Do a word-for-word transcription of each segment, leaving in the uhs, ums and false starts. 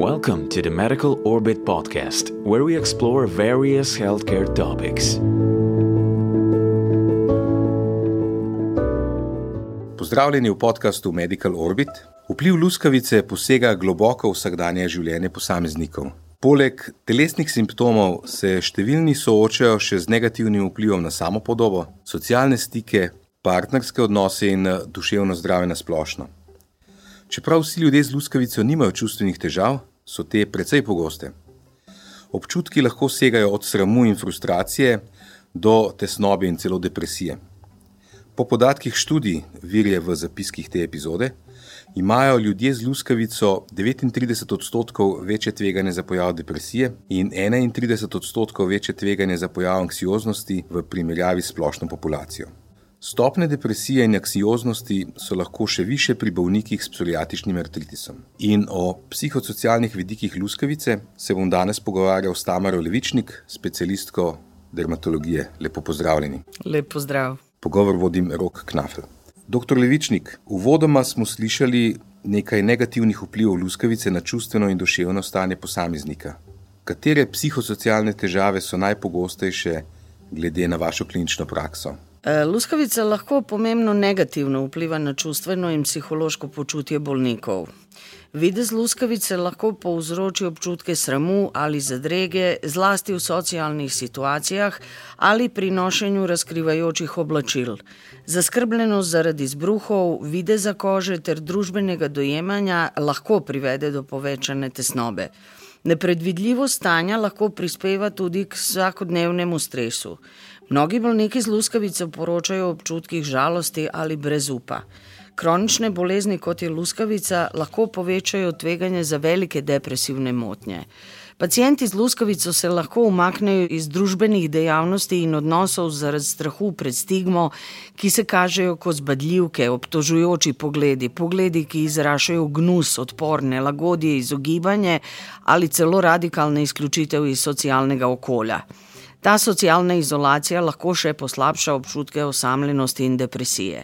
Welcome to the Medical Orbit podcast, where we explore various healthcare topics. Pozdravljeni v podcastu Medical Orbit. Vpliv luskavice posega globoko v vsakdanje življenje posameznikov. Poleg telesnih simptomov se številni soočajo še z negativnim vplivom na samopodobo, socialne stike, partnerske odnose in duševno zdravje na splošno. Čeprav vsi ljudje z luskavico nimajo čustvenih težav, so te precej pogoste. Občutki lahko segajo od sramu in frustracije do tesnobe in celo depresije. Po podatkih študij, vir je v zapiskih te epizode, imajo ljudje z luskavico devetintrideset odstotkov večje tveganje za pojav depresije in enaintrideset odstotkov večje tveganje za pojav anksioznosti v primerjavi s splošno populacijo. Stopnje depresije in anksioznosti so lahko še više pri bolnikih s psoriatičnim artritisom. In o psihosocialnih vidikih luskavice se bom danes pogovarjal s Tamaro Levičnik, specialistko dermatologije. Lepo pozdravljeni. Lep pozdrav. Pogovor vodim Rok Knafel. Doktor Levičnik, uvodoma smo slišali nekaj negativnih vplivov luskavice na čustveno in duševno stanje posameznika. Katere psihosocialne težave so najpogostejše glede na vašo klinično prakso? Luskavica lahko pomembno negativno vpliva na čustveno in psihološko počutje bolnikov. Videz luskavice lahko povzroči občutke sramu ali zadrege, zlasti v socialnih situacijah ali pri nošenju razkrivajočih oblačil. Zaskrbljenost zaradi izbruhov, videza kože ter družbenega dojemanja lahko privede do povečane tesnobe. Nepredvidljivost stanja lahko prispeva tudi k vsakodnevnemu stresu. Mnogi bolniki z luskavico poročajo o občutkih žalosti ali brezupa. Kronične bolezni, kot je luskavica, lahko povečajo tveganje za velike depresivne motnje. Pacienti z luskavico se lahko umaknejo iz družbenih dejavnosti in odnosov zaradi strahu pred stigmo, ki se kažejo kot zbadljivke, obtožujoči pogledi, pogledi, ki izražajo gnus, odpor, nelagodje, izogibanje ali celo radikalna izključitev iz socialnega okolja. Ta socialna izolacija lahko še poslabša občutke osamljenosti in depresije.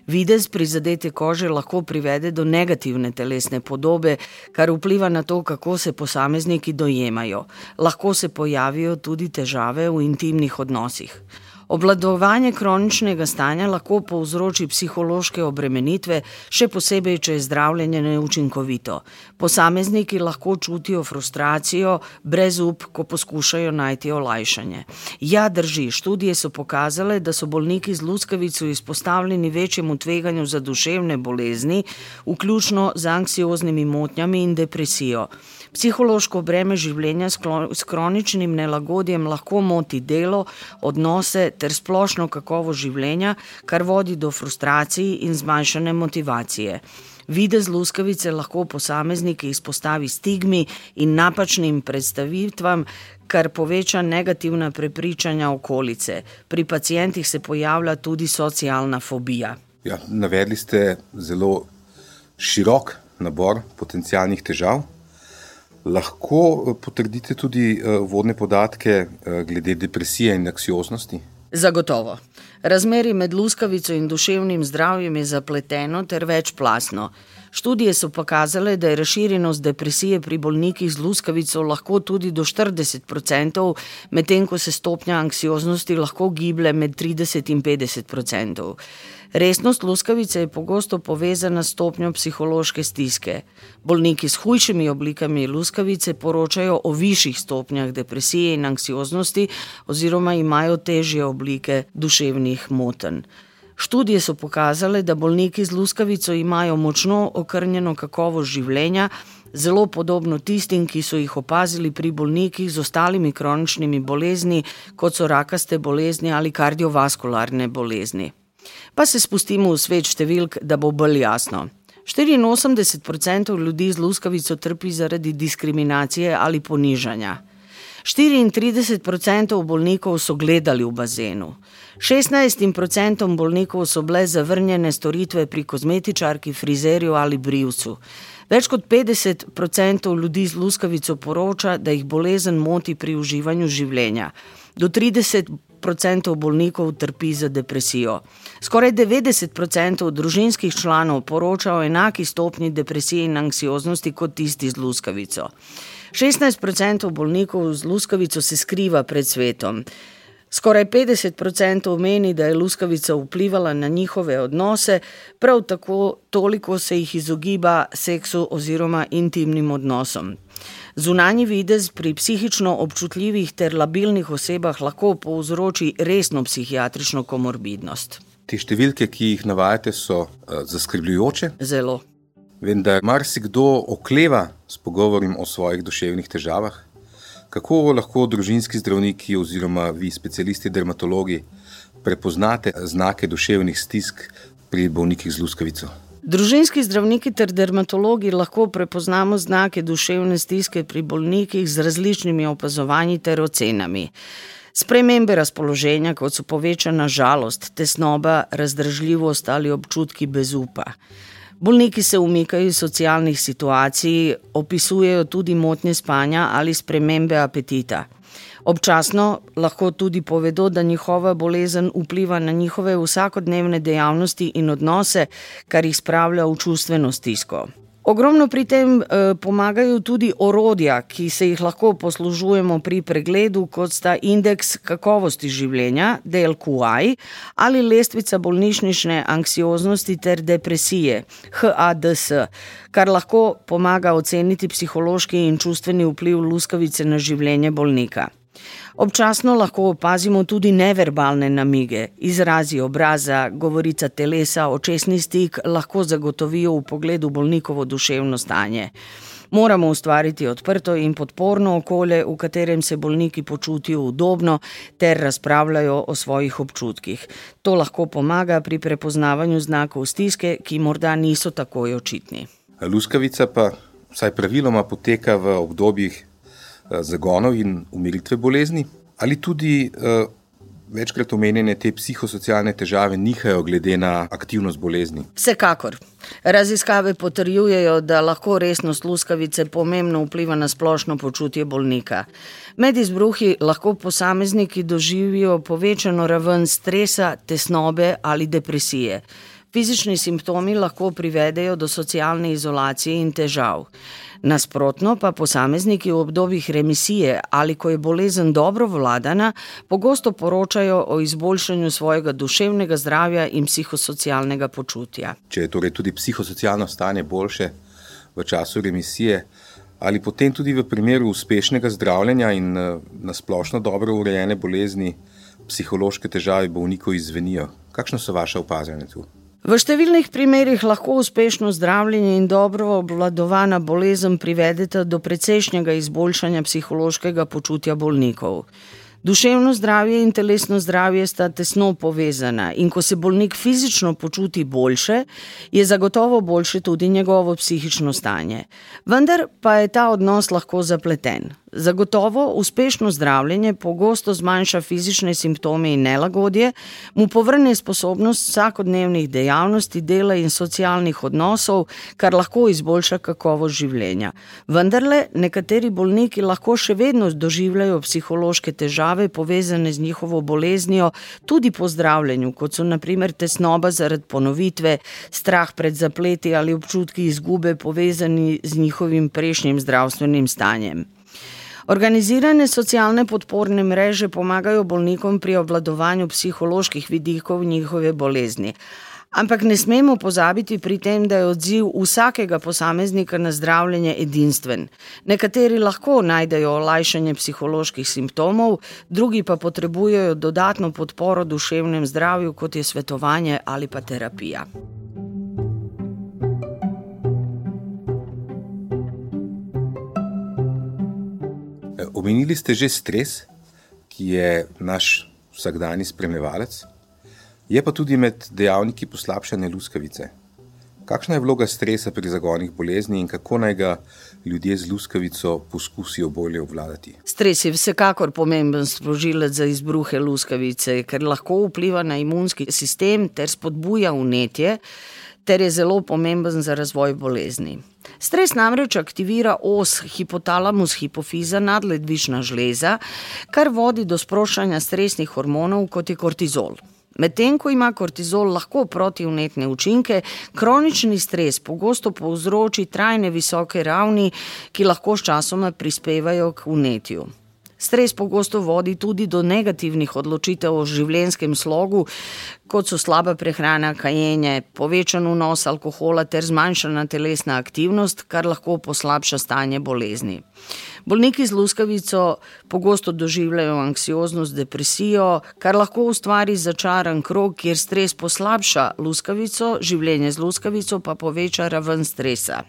Videz prizadete kože lahko privede do negativne telesne podobe, kar vpliva na to, kako se posamezniki dojemajo. Lahko se pojavijo tudi težave v intimnih odnosih. Obvladovanje kroničnega stanja lahko povzroči psihološke obremenitve, še posebej, če je zdravljenje neučinkovito. Posamezniki lahko čutijo frustracijo, brezup, ko poskušajo najti olajšanje. Ja, drži, študije so pokazale, da so bolniki z luskavico izpostavljeni večjemu tveganju za duševne bolezni, vključno z anksioznimi motnjami in depresijo. Psihološko breme življenja s kroničnim nelagodjem lahko moti delo, odnose ter splošno kakovost življenja, kar vodi do frustracij in zmanjšane motivacije. Videz luskavice lahko posamezniki izpostavi stigmi in napačnim predstavitvam, kar poveča negativna prepričanja okolice. Pri pacientih se pojavlja tudi socialna fobija. Ja, navedli ste zelo širok nabor potencialnih težav. Lahko potrdite tudi uvodne podatke glede depresije in anksioznosti? Zagotovo. Razmerje med luskavico in duševnim zdravjem je zapleteno ter večplastno. Študije so pokazale, da je razširjenost depresije pri bolnikih z luskavico lahko tudi do štirideset procentov, medtem ko se stopnja anksioznosti lahko giblje med trideset in petdeset procentov. Resnost luskavice je pogosto povezana s stopnjo psihološke stiske. Bolniki s hujšimi oblikami luskavice poročajo o višjih stopnjah depresije in anksioznosti oziroma imajo težje oblike duševnih motenj. Študije so pokazale, da bolniki z luskavico imajo močno okrnjeno kakovost življenja, zelo podobno tistim, ki so jih opazili pri bolnikih z ostalimi kroničnimi bolezni, kot so rakaste bolezni ali kardiovaskularne bolezni. Pa se spustimo v svet številk, da bo bolj jasno. štiriinosemdeset procentov ljudi z luskavico trpi zaradi diskriminacije ali ponižanja. štiriintrideset procentov bolnikov so gledali v bazenu. šestnajst procentov bolnikov so bile zavrnjene storitve pri kozmetičarki, frizerju ali brivcu. Več kot petdeset procentov ljudi z luskavico poroča, da jih bolezen moti pri uživanju življenja. Do trideset procentov bolnikov trpi za depresijo. Skoraj devetdeset procentov družinskih članov poroča o enaki stopnji depresije in anksioznosti kot tisti z luskavico. šestnajst procentov bolnikov z luskavico se skriva pred svetom. Skoraj petdeset procentov meni, da je luskavica vplivala na njihove odnose, prav tako toliko se jih izogiba seksu oziroma intimnim odnosom. Zunanji videz pri psihično občutljivih ter labilnih osebah lahko povzroči resno psihiatrično komorbidnost. Te številke, ki jih navajate, so uh, zaskrbljujoče. Zelo. Vendar marsikdo okleva s pogovorom o svojih duševnih težavah. Kako lahko družinski zdravniki oziroma vi, specialisti dermatologi, prepoznate znake duševnih stisk pri bolnikih z luskavico? Družinski zdravniki ter dermatologi lahko prepoznamo znake duševne stiske pri bolnikih z različnimi opazovanji ter ocenami. Spremembe razpoloženja, kot so povečana žalost, tesnoba, razdražljivost ali občutki brezupa. Bolniki se umikajo iz socialnih situacij, opisujejo tudi motnje spanja ali spremembe apetita. Občasno lahko tudi povedo, da njihova bolezen vpliva na njihove vsakodnevne dejavnosti in odnose, kar jih spravlja v čustveno stisko. Ogromno pri tem eh, pomagajo tudi orodja, ki se jih lahko poslužujemo pri pregledu, kot sta indeks kakovosti življenja, D L Q I, ali lestvica bolnišnične anksioznosti ter depresije, H A D S, kar lahko pomaga oceniti psihološki in čustveni vpliv luskavice na življenje bolnika. Občasno lahko opazimo tudi neverbalne namige, izrazi obraza, govorica telesa, očesni stik lahko zagotovijo v pogledu bolnikovo duševno stanje. Moramo ustvariti odprto in podporno okolje, v katerem se bolniki počutijo udobno ter razpravljajo o svojih občutkih. To lahko pomaga pri prepoznavanju znakov stiske, ki morda niso takoj očitni. Luskavica pa vsaj praviloma poteka v obdobjih zagonov in umiritve bolezni, ali tudi uh, večkrat omenjene te psihosocialne težave nihajo glede na aktivnost bolezni? Vsekakor. Raziskave potrjujejo, da lahko resnost luskavice pomembno vpliva na splošno počutje bolnika. Med izbruhi lahko posamezniki doživijo povečano raven stresa, tesnobe ali depresije. Fizični simptomi lahko privedejo do socialne izolacije in težav. Nasprotno pa posamezniki v obdobjih remisije ali ko je bolezen dobro vladana, pogosto poročajo o izboljšanju svojega duševnega zdravja in psihosocialnega počutja. Če je torej tudi psihosocialno stanje boljše v času remisije, ali potem tudi v primeru uspešnega zdravljenja in na splošno dobro urejene bolezni, psihološke težave bolnikov izzvenijo. Kakšno so vaše opazovanje tu? V številnih primerih lahko uspešno zdravljenje in dobro obvladovana bolezen privedeta do precejšnjega izboljšanja psihološkega počutja bolnikov. Duševno zdravje in telesno zdravje sta tesno povezana in ko se bolnik fizično počuti boljše, je zagotovo boljše tudi njegovo psihično stanje. Vendar pa je ta odnos lahko zapleten. Zagotovo uspešno zdravljenje pogosto zmanjša fizične simptome in nelagodje, mu povrne sposobnost vsakodnevnih dejavnosti, dela in socialnih odnosov, kar lahko izboljša kakovost življenja. Vendarle, nekateri bolniki lahko še vedno doživljajo psihološke težave povezane z njihovo boleznijo tudi po zdravljenju, kot so na primer tesnoba zaradi ponovitve, strah pred zapleti ali občutki izgube povezani z njihovim prejšnjim zdravstvenim stanjem. Organizirane socialne podporne mreže pomagajo bolnikom pri obvladovanju psiholoških vidikov njihove bolezni. Ampak ne smemo pozabiti pri tem, da je odziv vsakega posameznika na zdravljenje edinstven. Nekateri lahko najdejo olajšanje psiholoških simptomov, drugi pa potrebujejo dodatno podporo duševnem zdravju, kot je svetovanje ali pa terapija. Omenili ste že stres, ki je naš vsakdanji spremljevalec, je pa tudi med dejavniki poslabšanja luskavice. Kakšna je vloga stresa pri zagonih bolezni in kako naj ga ljudje z luskavico poskusijo bolje obvladati? Stres je vsekakor pomemben sprožilec za izbruhe luskavice, ker lahko vpliva na imunski sistem ter spodbuja vnetje, ter je zelo pomemben za razvoj bolezni. Stres namreč aktivira os hipotalamus-hipofiza nadledvična žleza, kar vodi do sproščanja stresnih hormonov, kot je kortizol. Medtem ko ima kortizol lahko protivnetne učinke, kronični stres pogosto povzroči trajne visoke ravni, ki lahko sčasoma prispevajo k vnetju. Stres pogosto vodi tudi do negativnih odločitev o življenjskem slogu, kot so slaba prehrana, kajenje, povečan vnos alkohola ter zmanjšana telesna aktivnost, kar lahko poslabša stanje bolezni. Bolniki z luskavico pogosto doživljajo anksioznost, depresijo, kar lahko ustvari začaran krog, kjer stres poslabša luskavico, življenje z luskavico pa poveča raven stresa.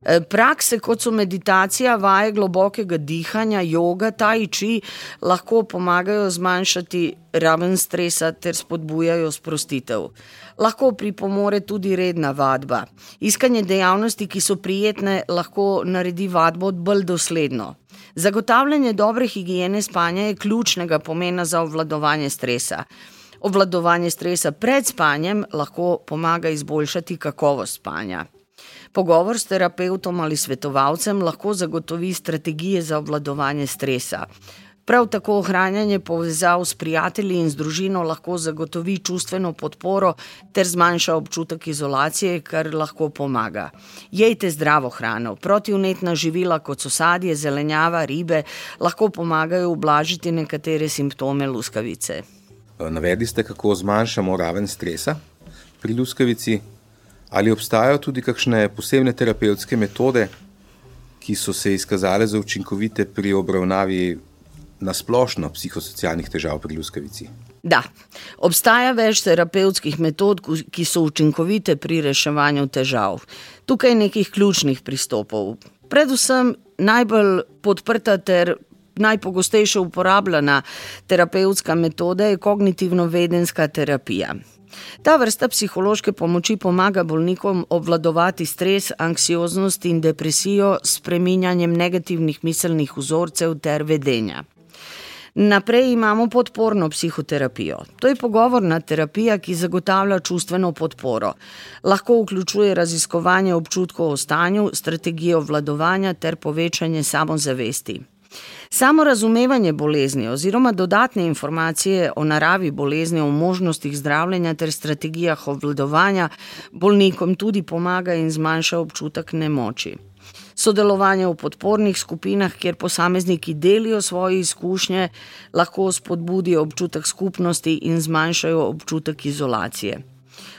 Prakse, kot so meditacija, vaje globokega dihanja, joga, tai chi, lahko pomagajo zmanjšati raven stresa ter spodbujajo sprostitev. Lahko pripomore tudi redna vadba. Iskanje dejavnosti, ki so prijetne, lahko naredi vadbo bolj dosledno. Zagotavljanje dobre higiene spanja je ključnega pomena za obvladovanje stresa. Obvladovanje stresa pred spanjem lahko pomaga izboljšati kakovost spanja. Pogovor s terapevtom ali svetovalcem lahko zagotovi strategije za obvladovanje stresa. Prav tako ohranjanje povezav s prijatelji in z družino lahko zagotovi čustveno podporo ter zmanjša občutek izolacije, kar lahko pomaga. Jejte zdravo hrano. Protivnetna živila, kot so sadje, zelenjava, ribe, lahko pomagajo ublažiti nekatere simptome luskavice. Navedli ste, kako zmanjšamo raven stresa pri luskavici. Ali obstajajo tudi kakšne posebne terapevtske metode, ki so se izkazale za učinkovite pri obravnavi nasplošno psihosocialnih težav pri luskavici? Da, obstaja več terapevtskih metod, ki so učinkovite pri reševanju težav. Tukaj je nekih ključnih pristopov. Predvsem najbolj podprta ter najpogostejše uporabljena terapevtska metoda je kognitivno-vedenska terapija. Ta vrsta psihološke pomoči pomaga bolnikom obvladovati stres, anksioznost in depresijo s spreminjanjem negativnih miselnih vzorcev ter vedenja. Naprej imamo podporno psihoterapijo. To je pogovorna terapija, ki zagotavlja čustveno podporo. Lahko vključuje raziskovanje občutkov o stanju, strategijo obvladovanja ter povečanje samozavesti. Samo razumevanje bolezni oziroma dodatne informacije o naravi bolezni, o možnostih zdravljenja ter strategijah obvladovanja bolnikom tudi pomaga in zmanjša občutek nemoči. Sodelovanje v podpornih skupinah, kjer posamezniki delijo svoje izkušnje, lahko spodbudijo občutek skupnosti in zmanjšajo občutek izolacije.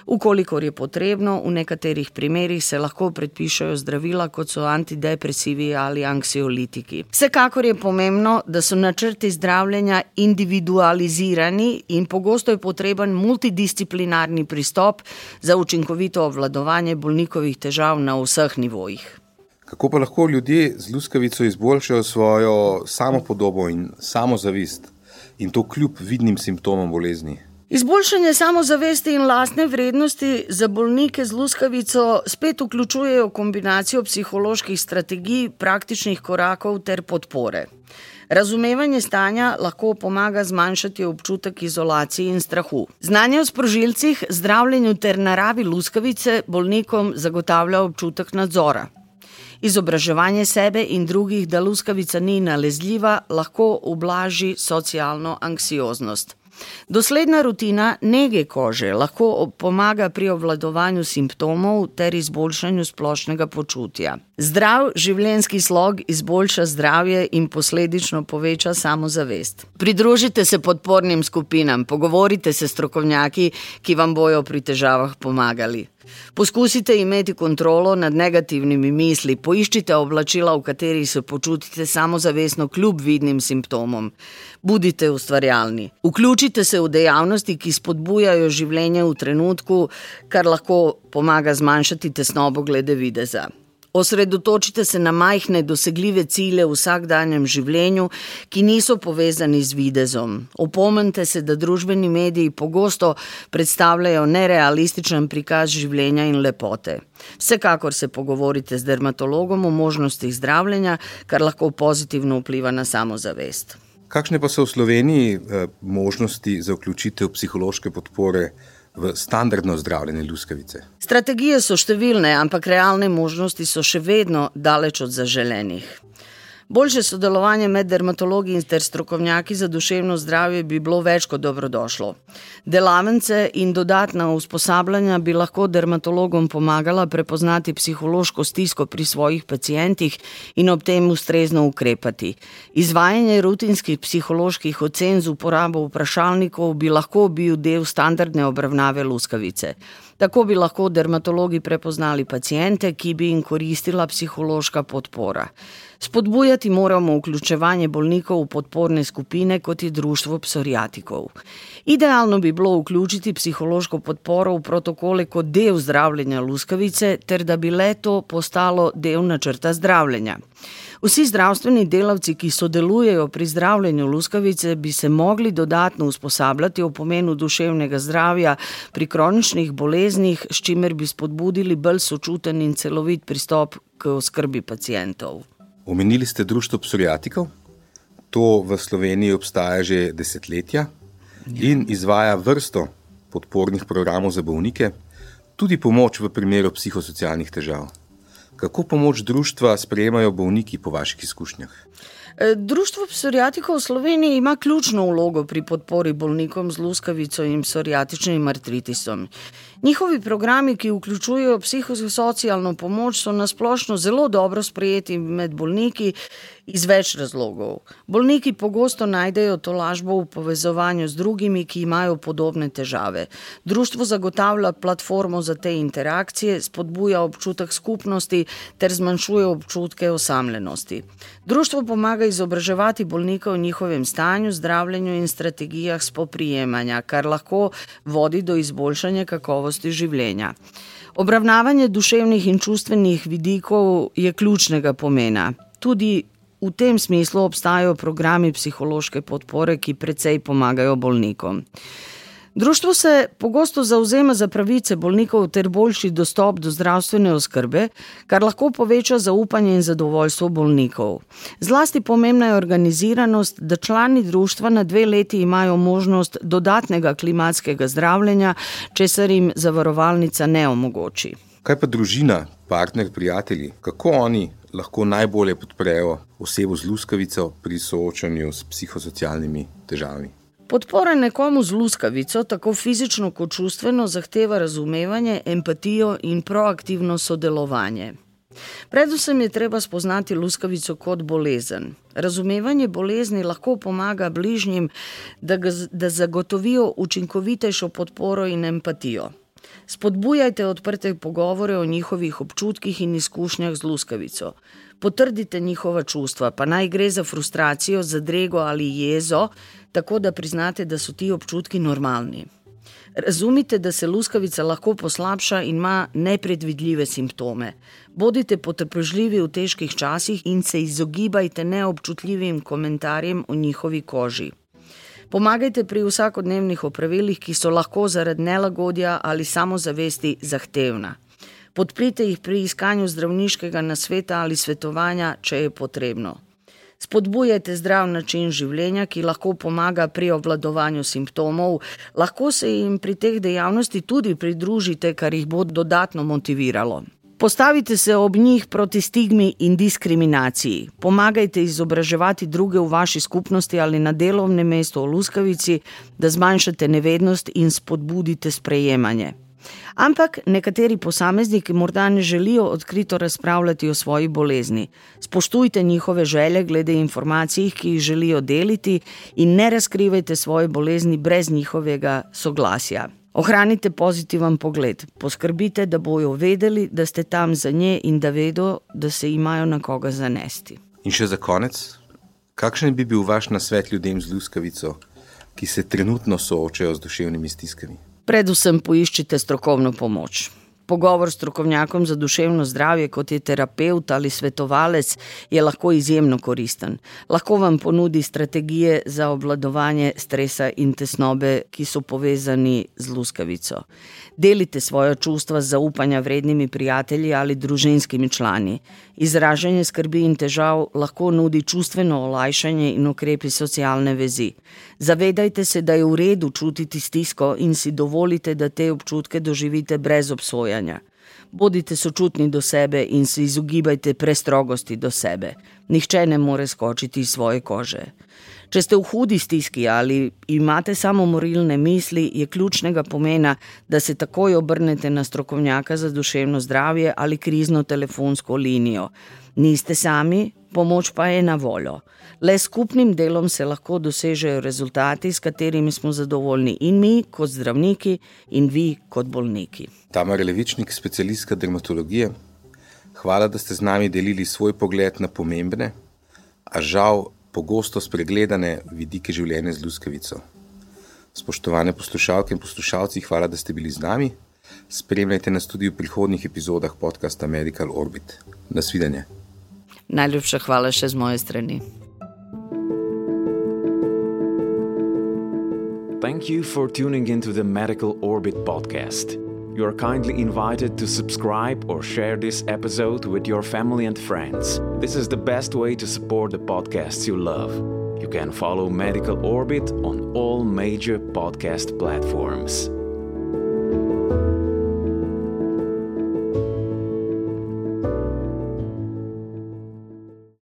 Ukolikor je potrebno, v nekaterih primerih se lahko predpišejo zdravila, kot so antidepresivi ali anksiolitiki. Vsekakor je pomembno, da so načrti zdravljenja individualizirani in pogosto je potreben multidisciplinarni pristop za učinkovito obvladovanje bolnikovih težav na vseh nivojih. Kako pa lahko ljudje z luskavico izboljšajo svojo samopodobo in samozavest in to kljub vidnim simptomom bolezni? Izboljšanje samozavesti in lastne vrednosti za bolnike z luskavico spet vključujejo kombinacijo psiholoških strategij, praktičnih korakov ter podpore. Razumevanje stanja lahko pomaga zmanjšati občutek izolacije in strahu. Znanje o sprožilcih, zdravljenju ter naravi luskavice bolnikom zagotavlja občutek nadzora. Izobraževanje sebe in drugih, da luskavica ni nalezljiva, lahko ublaži socialno anksioznost. Dosledna rutina nege kože lahko pomaga pri obvladovanju simptomov ter izboljšanju splošnega počutja. Zdrav življenjski slog izboljša zdravje in posledično poveča samozavest. Pridružite se podpornim skupinam, pogovorite se s strokovnjaki, ki vam bojo pri težavah pomagali. Poskusite imeti kontrolo nad negativnimi misli, poiščite oblačila, v katerih se počutite samozavestno kljub vidnim simptomom. Budite ustvarjalni. Vključite se v dejavnosti, ki spodbujajo življenje v trenutku, kar lahko pomaga zmanjšati tesnobo glede videza. Osredotočite se na majhne dosegljive cilje v vsakdanjem življenju, ki niso povezani z videzom. Opomnite se, da družbeni mediji pogosto predstavljajo nerealističen prikaz življenja in lepote. Vsekakor se pogovorite z dermatologom o možnostih zdravljenja, kar lahko pozitivno vpliva na samozavest. Kakšne pa so v Sloveniji eh, možnosti za vključitev psihološke podpore v standardno zdravljenje luskavice? Strategije so številne, ampak realne možnosti so še vedno daleč od zaželenih. Boljše sodelovanje med dermatologi in ter strokovnjaki za duševno zdravje bi bilo več kot dobrodošlo. Delavnice in dodatna usposabljanja bi lahko dermatologom pomagala prepoznati psihološko stisko pri svojih pacientih in ob tem ustrezno ukrepati. Izvajanje rutinskih psiholoških ocen z uporabo vprašalnikov bi lahko bil del standardne obravnave luskavice. Tako bi lahko dermatologi prepoznali paciente, ki bi jim koristila psihološka podpora. Spodbujati moramo vključevanje bolnikov v podporne skupine, kot je društvo psoriatikov. Idealno bi bilo vključiti psihološko podporo v protokole kot del zdravljenja luskavice, ter da bi le to postalo del načrta zdravljenja. Vsi zdravstveni delavci, ki sodelujejo pri zdravljenju luskavice, bi se mogli dodatno usposabljati o pomenu duševnega zdravja pri kroničnih boleznih, s čimer bi spodbudili bolj sočuten in celovit pristop k oskrbi pacientov. Omenili ste društvo psoriatikov. To v Sloveniji obstaja že desetletja in izvaja vrsto podpornih programov za bolnike, tudi pomoč v primeru psihosocialnih težav. Kako pomoč društva sprejemajo bolniki po vaših izkušnjah? Društvo psoriatikov v Sloveniji ima ključno vlogo pri podpori bolnikom z luskavico in psoriatičnim artritisom. Njihovi programi, ki vključujejo psihosocialno pomoč, so nasplošno zelo dobro sprejeti med bolniki iz več razlogov. Bolniki pogosto najdejo tolažbo v povezovanju z drugimi, ki imajo podobne težave. Društvo zagotavlja platformo za te interakcije, spodbuja občutek skupnosti ter zmanjšuje občutke osamljenosti. Društvo pomaga izobraževati bolnika o njihovem stanju, zdravljenju in strategijah spoprijemanja, kar lahko vodi do izboljšanja kakovosti življenja. Obravnavanje duševnih in čustvenih vidikov je ključnega pomena. Tudi v tem smislu obstajajo programi psihološke podpore, ki precej pomagajo bolnikom. Društvo se pogosto zavzema za pravice bolnikov ter boljši dostop do zdravstvene oskrbe, kar lahko poveča zaupanje in zadovoljstvo bolnikov. Zlasti pomembna je organiziranost, da člani društva na dve leti imajo možnost dodatnega klimatskega zdravljenja, česar jim zavarovalnica ne omogoči. Kaj pa družina, partner, prijatelji? Kako oni lahko najbolje podprejo osebo z luskavico pri soočanju s psihosocialnimi težavami? Podpora nekomu z luskavico, tako fizično kot čustveno, zahteva razumevanje, empatijo in proaktivno sodelovanje. Predvsem je treba spoznati luskavico kot bolezen. Razumevanje bolezni lahko pomaga bližnjim, da, ga, da zagotovijo učinkovitejšo podporo in empatijo. Spodbujajte odprte pogovore o njihovih občutkih in izkušnjah z luskavico. Potrdite njihova čustva, pa naj gre za frustracijo, zadrego ali jezo, tako da priznate, da so ti občutki normalni. Razumite, da se luskavica lahko poslabša in ima nepredvidljive simptome. Bodite potrpežljivi v težkih časih in se izogibajte neobčutljivim komentarjem o njihovi koži. Pomagajte pri vsakodnevnih opravilih, ki so lahko zaradi nelagodja ali samozavesti zahtevna. Podprite jih pri iskanju zdravniškega nasveta ali svetovanja, če je potrebno. Spodbujajte zdrav način življenja, ki lahko pomaga pri obvladovanju simptomov. Lahko se jim pri teh dejavnosti tudi pridružite, kar jih bo dodatno motiviralo. Postavite se ob njih proti stigmi in diskriminaciji. Pomagajte izobraževati druge v vaši skupnosti ali na delovnem mestu o luskavici, da zmanjšate nevednost in spodbudite sprejemanje. Ampak nekateri posamezniki morda ne želijo odkrito razpravljati o svoji bolezni. Spoštujte njihove želje glede informacij, ki jih želijo deliti, in ne razkrivajte svoje bolezni brez njihovega soglasja. Ohranite pozitiven pogled. Poskrbite, da bojo vedeli, da ste tam za nje in da vedo, da se imajo na koga zanesti. In še za konec, kakšen bi bil vaš nasvet ljudem z luskavico, ki se trenutno soočajo z duševnimi stiskami? Predvsem poiščite strokovno pomoč. Pogovor s strokovnjakom za duševno zdravje, kot je terapevt ali svetovalec, je lahko izjemno koristen. Lahko vam ponudi strategije za obvladovanje stresa in tesnobe, ki so povezani z luskavico. Delite svoja čustva z zaupanja vrednimi prijatelji ali družinskimi člani. Izražanje skrbi in težav lahko nudi čustveno olajšanje in ukrepi socialne vezi. Zavedajte se, da je v redu čutiti stisko in si dovolite, da te občutke doživite brez obsojanja. Bodite sočutni do sebe in se izogibajte prestrogosti do sebe. Nihče ne more skočiti iz svoje kože. Če ste v hudi stiski ali imate samomorilne misli, je ključnega pomena, da se takoj obrnete na strokovnjaka za duševno zdravje ali krizno telefonsko linijo. Niste sami, pomoč pa je na voljo. Le s skupnim delom se lahko dosežejo rezultati, s katerimi smo zadovoljni in mi kot zdravniki in vi kot bolniki. Tamara Levičnik, specialistka dermatologije. Hvala, da ste z nami delili svoj pogled na pomembne, a žal pogosto spregledane vidike življenja z luskavico. Spoštovane poslušalke in poslušalci, hvala, da ste bili z nami. Spremljajte nas tudi v prihodnjih epizodah podcasta Medical Orbit. Nasvidenje. Najlepša hvala še z moje strani. Thank you for tuning into the Medical Orbit podcast. You are kindly invited to subscribe or share this episode with your family and friends. This is the best way to support the podcasts you love. You can follow Medical Orbit on all major podcast platforms.